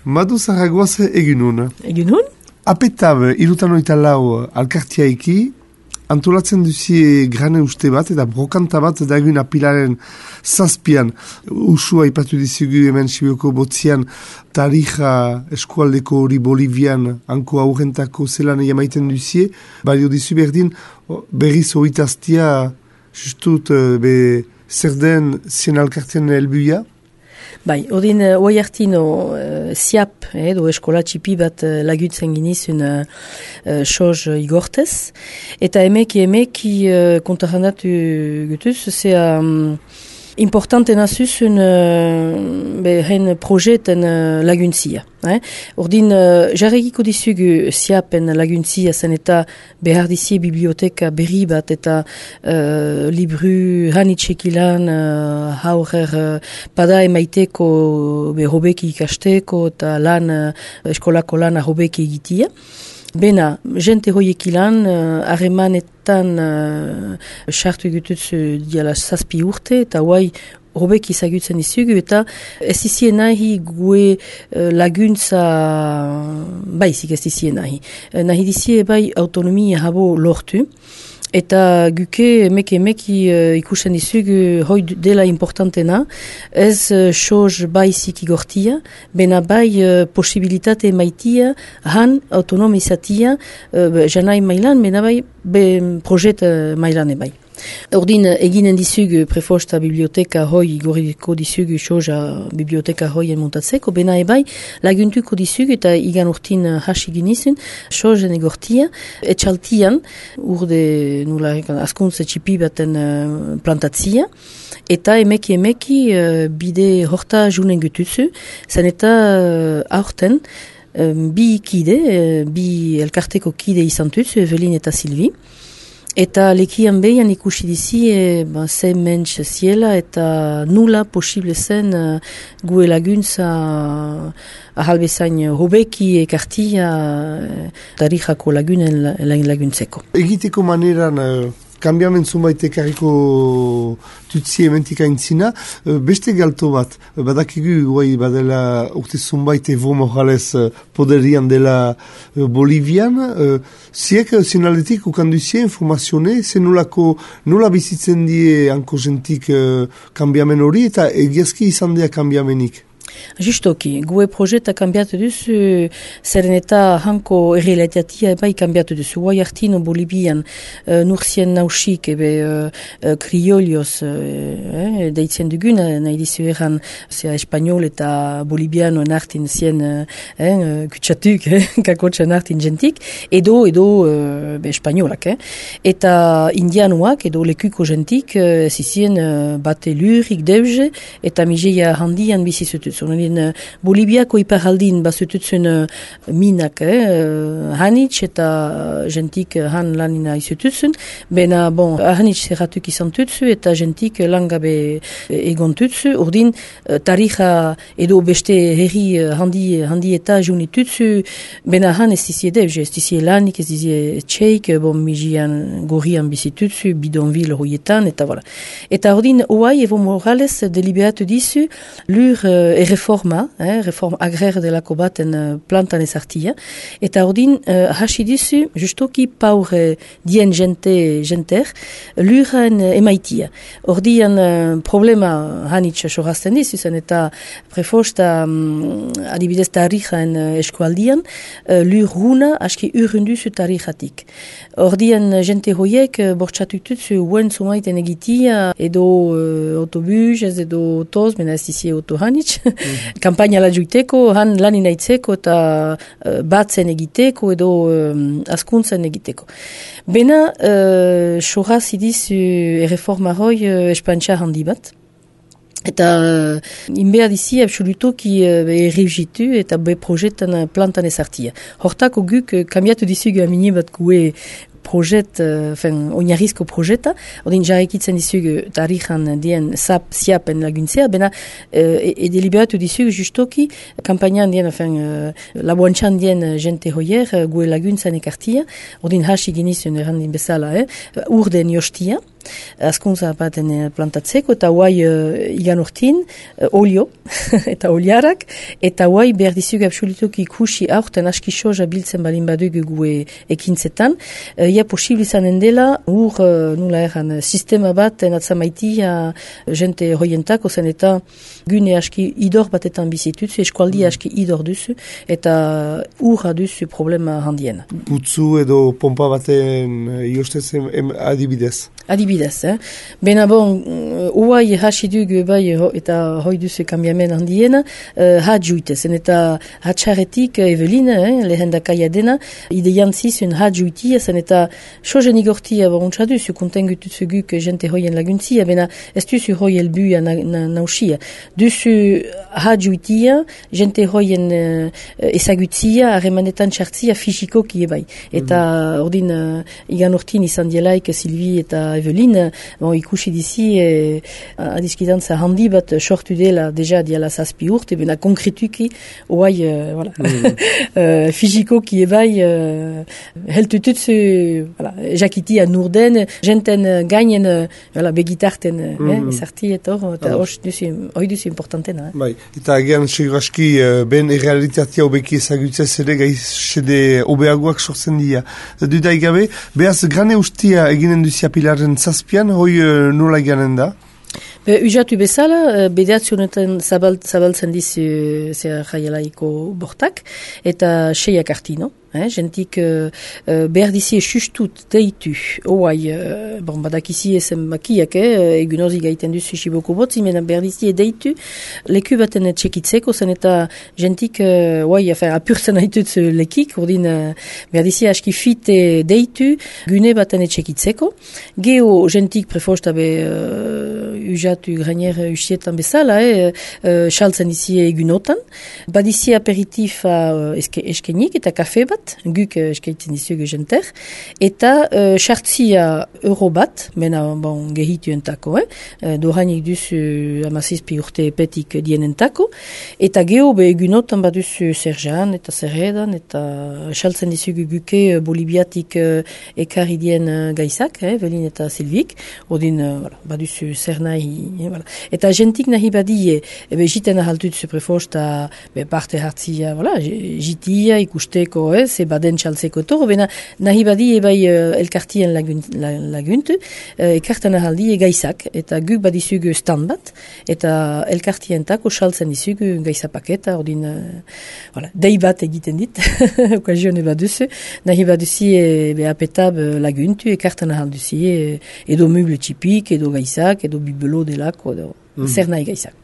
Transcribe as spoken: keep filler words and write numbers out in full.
Madu Zaragoaz eginun. Eginun? Apetab, irutan oita lau alkartiaiki, antolatzen duzie grane uste bat eta brokanta bat dagun apilaren zazpian. Usua ipatu dizugu hemen Sibioko botzian tarija eskualdeko hori Bolivian hanko aurrentako zelan jamaiten duzie. Baina dizu berdin berriz oitaztia justut be zer den zien alkartian helbuia? Bai, odin uh, oi hartino uh, siap, edo eskola txipi bat uh, lagutzen ginizun uh, uh, soz igortez. Eta emeki emeki uh, kontarandatu gutuz, zea um, importante nazuzun uh, hen projeten uh, laguntzia. Eh? Ordin, uh, jarregiko dizugu siapen laguntzia zen eta behar dizie biblioteka berri bat eta uh, libru hanitxekilan uh, haurer uh, pada emaiteko be hobeki ikasteko eta lan, uh, eskolako lan hobeki egitia. Bena, jente hoiek ilan, harremanetan uh, sartu egututzu diala zazpi urte eta guai hobeki zagutzen izugu eta ez izien nahi gue uh, laguntza baizik ez izien nahi. Uh, nahi dizie bai autonomia habo lortu. Eta guke emeki emeki uh, ikusten dizugu hoi dela importantena, ez uh, soz baizik igortia, bena bai uh, posibilitate maitia, han autonomizatia, uh, janai mailan, bena bai be projet uh, mailan ebai. Ordin eginen dizugu prefosta biblioteka hoi igoriko dizugu soja biblioteka hoien montatzeko, bena ebai laguntuko dizugu eta igan urtin hasi ginizun sojen egortia, etxaltian urde nula askuntze txipi baten uh, plantatzia, eta emeki emeki uh, bide horta junen gututzu, zen eta uh, aurten um, bi kide, uh, bi elkarteko kide izan tutzu, Evelin eta Silvi. Eta lekian behian ikusi dizi e, ba, ze mentx ziela eta nula posible zen uh, gue laguntza uh, ahalbezain hobeki ekartia uh, tarijako lagunen laguntzeko. Egiteko maneran uh, kambiamen zunbait ekarriko tutsi ementika intzina, uh, beste galto bat, uh, badakigu guai badela urte zunbait Evo Morales uh, poderian dela uh, Bolivian, uh, ziek uh, zinaletik ukanduzie informazione, zen nolako nola bizitzen die hanko jentik uh, kambiamen hori eta egiazki izan dea kambiamenik. Justoki, gue projeta kambiatu duzu, zeren eta hanko errealitatea bai kambiatu duzu. Guai hartino Bolibian, uh, nursien nausik, ebe uh, kriolioz, uh, deitzen dugun, nahi dizu eran, zera espanol eta bolibianoen hartin zien uh, kutsatuk, eh, kakotxan hartin jentik, edo, edo uh, be, espanolak. Eh. Eta indianuak, edo lekuko jentik, uh, zizien uh, bate lurik deuze, eta mijeia handian bizizutuz. Onelien, Bolibiako iparaldin bazututzen uh, minak, eh, uh, hanitz eta uh, jentik uh, han lanina izututzen, bena, bon, hanitz zerratuk izan tutzu eta jentik uh, langabe egon tutzu, urdin uh, tarija edo beste herri uh, handi, handi eta juni tutzu, bena han ez dizie devze, ez dizie lanik, ez dizie txeik, bon, mijian gorrian bizitutzu, bidonvil horietan, eta voilà. Eta urdin, oai, Evo Morales deliberatu dizu, lur uh, reforma, eh, reforma agrer delako baten uh, plantan ezartia, eta ordin uh, hasi dizu, justoki paure dien jente, jenter, luren uh, emaitia. Ordian uh, problema hanitz sorazten dizu zen, eta prefosta um, adibidez tarijaen uh, eskualdian, uh, lur runa aski urrunduzu tarijatik. Ordian uh, jente hoiek uh, bortxatututzu uen zumaiten egitia, edo uh, autobus, ez edo toz, mena ez dizie auto hanitz, kampaina la juiteko, han lanin aitzeko eta uh, batzen egiteko edo um, askuntzen egiteko. Bena, uh, soraz idiz uh, erreforma hoi uh, espantxa handi bat. Eta uh, inbea dizi absolutoki uh, errigitu eta be projetan plantan ezartia. Hortako guk uh, kambiatu dizugu amini bat gue projet, fen, uh, oinarrizko projeta, odin jarrekitzen dizugu tarijan dien sap, siapen laguntzea, bena uh, edeliberatu dizugu justoki kampainan dien, fen, uh, laboantxan dien jente hoier, uh, gue laguntzan ekartia, odin hasi genizun errandin bezala, eh, urden jostia, askuntza baten plantatzeko, eta guai uh, igan urtin, uh, olio, eta oliarak, eta guai behar dizug absolutuk ikusi aurten aski soja biltzen balin badugu gue ekintzetan, uh, ia posibil izanen dela, ur, uh, nula erran, sistema bat enatzamaitia jente hoientako zen, eta gune aski idor batetan bizitutzu, eskualdi aski idor duzu, eta urra duzu problema handien. Putzu edo pompa baten iostez adibidez? Adibidez, eh? Bena bon, uai hasi dugu bai eta hoi duzu kambiamen handiena, uh, hadjuitezen eta hatxaretik Evelina, eh, lehen dakaia dena, ideian zizun hadjuitia zen eta sozen igortia baruntza duzu, kontengutuzu guk jente hoien laguntzia, bena ez duzu hoi elbuia na, na, nausia. Duzu hadjuitia, jente hoien uh, ezagutzia, harremanetan txartzia fisikoki ebai. Eta mm-hmm. ordin uh, igan urtin izan dielaik Silvi eta Evelin, bon, ikusi dizi, e, adiskidantza handi bat sortu dela deja diala zazpi urte, bena konkretuki, oai, uh, voilà, mm. uh, fizikoki ebai, uh, heltututzu, voilà, jakiti anurden, jenten gainen, voilà, begitarten, mm. eh, ezarti eta hor, eta hori duzu importantena. Eh? Bai, eta agian seguraski, ben errealitatea obeki ezagutzez ere gaizede obeagoak sortzen dira. Dudai gabe, behaz grane ustia eginen duzia pilaren zazpian, hoi uh, nola ganen da? Be, ujatu bezala, bedeatzionetan zabal, zabaltzen dizu zer jaialaiko bortak, eta seiak artino. Eh, jentik uh, uh, behar dizi esustut deitu, oai, uh, bon, badakizi esen makiak, eh, egunozi gaiten duzu xiboko botzi, mena behar dizi deitu, leku baten txekitzeko, zen eta jentik, uh, oai, afen, apurtzen haitut lekik, urdin, uh, behar dizi aski fit deitu, gune baten txekitzeko, geho jentik prefosta be uh, ujatu granier usietan bezala, eh, uh, xaltzen dizi egunotan, badizi aperitifa uh, eske, eskenik eta kafe bat, guk eskaitzen dizugu jenter, eta sartzia uh, euro bat, mena bon, gehitu entako, eh? Dohainik duzu amazizpi urte epetik dienentako, eta geho be egunotan baduzu zerzan, eta zerredan, eta saltzen dizugu guke bolibiatik uh, ekarri dien uh, gaizak, eh? Velin eta Silvik, odin uh, voilà, baduzu zer nahi, eh? Voilà. Eta jentik nahi badie, ebe jiten ahaltut prefosta be parte hartzia, voilà, jitia ikusteko, eh? Ze baden txaltzeko toro, bena nahi badi ebai uh, elkartien lagunt, lagunt uh, ekartan ahaldi gaizak, eta guk badizugu stand bat, eta elkartientako txaltzen dizugu gaizapaketa, ordin, uh, voilà, dei bat egiten dit, okazione baduzu, nahi baduzi e, apetab laguntu, ekartan ahalduzi, e, edo meuble txipik, edo gaizak, edo bibelo delako, edo mm. zer nahi gaizak.